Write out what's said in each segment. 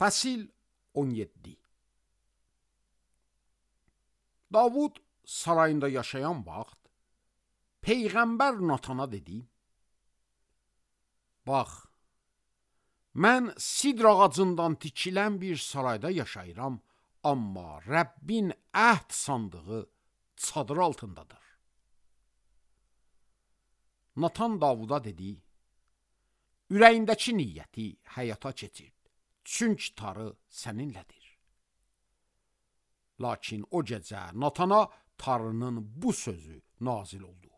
Fəsil 17. Davud sarayında yaşayan vaxt Peyğəmbər Natana dedi: Bax, mən sidr ağacından tikilən bir sarayda yaşayıram, amma Rəbbin əhd sandığı çadır altındadır. Natan Davuda dedi: Ürəyindəki niyyəti həyata keçir, çünki tarı səninlədir. Lakin o gecə Natana tarının bu sözü nazil oldu: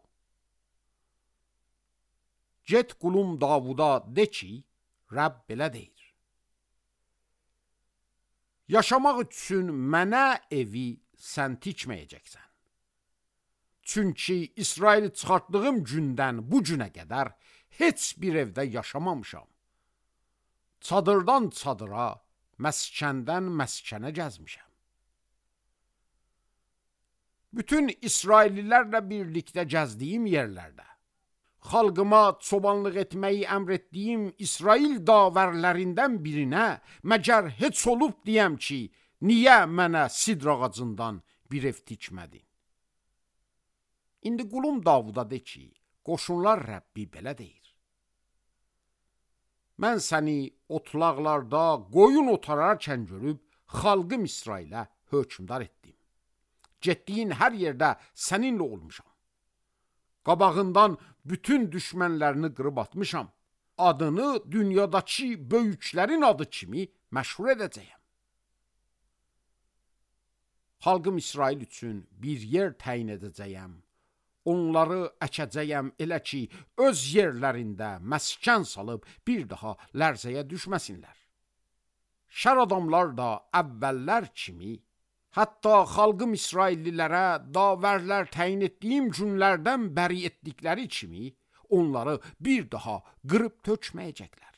Get qulum Davuda de ki, Rəbb belə deyir: Yaşamaq üçün mənə evi sən tikməyəcəksən. Çünki İsraili çıxartdığım gündən bu günə qədər heç bir evdə yaşamamışam. Çadırdan çadıra, məskəndən məskənə gəzmişəm. Bütün İsraillilərlə birlikdə gəzdiyim yerlərdə, xalqıma çobanlıq etməyi əmr etdiyim İsrail davərlərindən birinə məgər heç olub deyəm ki, niyə mənə sidr ağacından bir ev tikmədin? İndi qulum Davuda de ki, qoşunlar Rəbbi belə deyir: Mən səni otlaqlarda qoyun otararkən görüb, xalqım İsrailə hökmdar etdim. Getdiyin hər yerdə səninlə olmuşam. Qabağından bütün düşmənlərini qırıb atmışam. Adını dünyadakı böyüklərin adı kimi məşhur edəcəyəm. Xalqım İsrail üçün bir yer təyin edəcəyəm. Onları əkəcəyəm elə ki, öz yerlərində məskən salıb bir daha lərzəyə düşməsinlər. Şər adamlar da əvvəllər kimi, hətta xalqım İsraillilərə davərlər təyin etdiyim günlərdən bəri etdikləri kimi, onları bir daha qırıb tökməyəcəklər.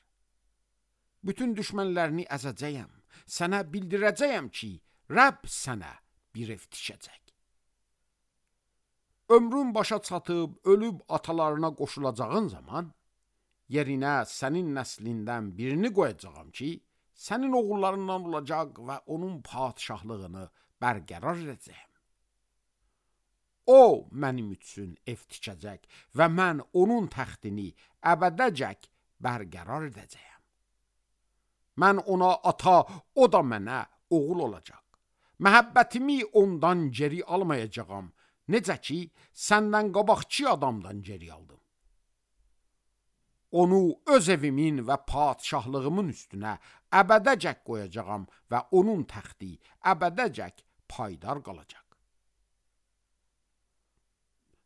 Bütün düşmənlərini əzəcəyəm, sənə bildirəcəyəm ki, Rəbb sənə bir ev tikəcək. Ömrün başa çatıb, ölüb atalarına qoşulacağın zaman, yerinə sənin nəslindən birini qoyacağam ki, sənin oğullarından olacaq və onun padişahlığını bərqərar edəcəyəm. O, mənim üçün ev tikəcək və mən onun təxtini əbədəcək bərqərar edəcəyəm. Mən ona ata, o da mənə oğul olacaq. Məhəbbətimi ondan geri almayacağam, necə ki, səndən qabaqçı adamdan geri aldım. Onu öz evimin və padişahlığımın üstünə əbədəcək qoyacağam və onun təxti əbədəcək paydar qalacaq.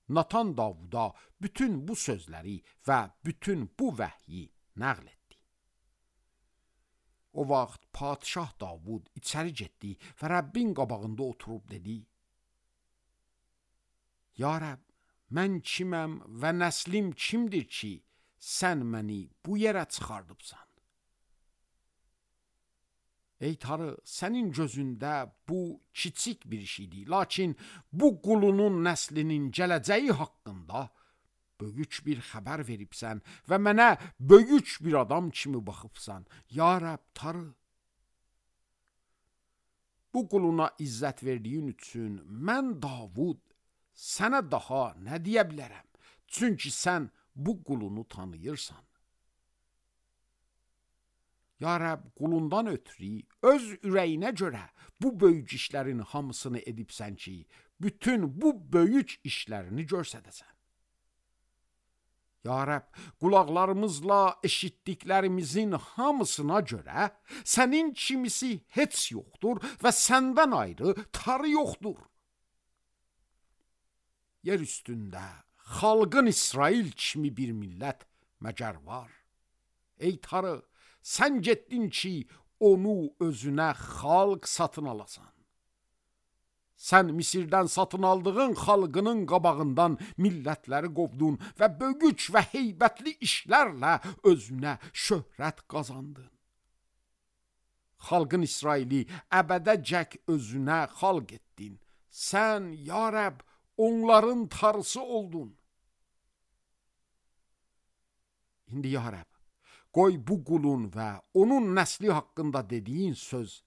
Natan Davuda bütün bu sözləri və bütün bu vəhyi nəql etdi. O vaxt padişah Davud içəri getdi və Rəbbin qabağında oturub dedi: Ya Rəbb, mən kiməm və nəslim kimdir ki, sən məni bu yerə çıxardıbsan? Ey Tanrı, sənin gözündə bu kiçik bir şeydir, lakin bu qulunun nəslinin gələcəyi haqqında böyük bir xəbər veribsən və mənə böyük bir adam kimi baxıbsan. Ya Rəbb, Tanrı, bu quluna izzət verdiyin üçün mən Davud sənə daha nə deyə bilərəm? Çünki sən bu qulunu tanıyırsan. Ya Rəbb, qulundan ötürü öz ürəyinə görə bu böyük işlərin hamısını edibsən ki, bütün bu böyük işlərini görsədəsən. Ya Rəbb, qulaqlarımızla eşitdiklərimizin hamısına görə sənin kimisi heç yoxdur və səndən ayrı tarı yoxdur. Yer üstündə xalqın İsrail kimi bir millət məgər var? Ey Tanrı, sən getdin ki, onu özünə xalq satın alasan. Sən Misirdən satın aldığın xalqının qabağından millətləri qovdun və böyük və heybətli işlərlə özünə şöhrət qazandın. Xalqın İsraili əbədəcək özünə xalq etdin. Sən, ya Rəbb, onların tarısı oldun. İndi ya Rəbb, Qoy bu qulun və onun nəsli haqqında dediyin söz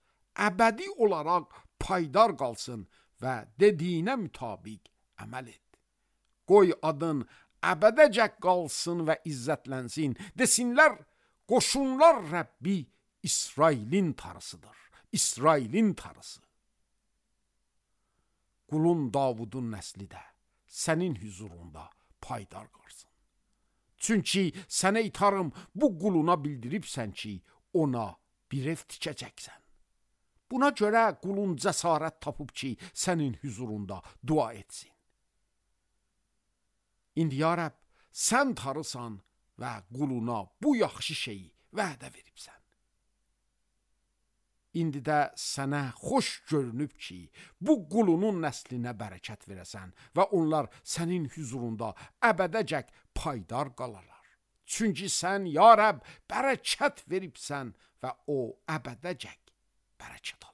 əbədi olaraq paydar qalsın və dediyinə mütabiq əməl et. Qoy adın əbədəcək qalsın və izzətlənsin. Desinlər, qoşunlar Rəbbi İsrailin tarısıdır. İsrailin tarısı. Qulun Davudun nəsli də sənin hüzurunda paydar qalsın. Çünki sənə itarım bu quluna bildiribsən ki, ona bir ev tikəcəksən. Buna görə qulun cəsarət tapıb ki, sənin hüzurunda dua etsin. İndi ya Rəbb, sən tarısan və quluna bu yaxşı şeyi vədə veribsən. İndi də sənə xoş görünüb ki, bu qulunun nəslinə bərəkət verəsən və onlar sənin hüzurunda əbədəcək paydar qalarlar. Çünki sən, ya Rəbb, bərəkət veribsən və o əbədəcək bərəkət alır.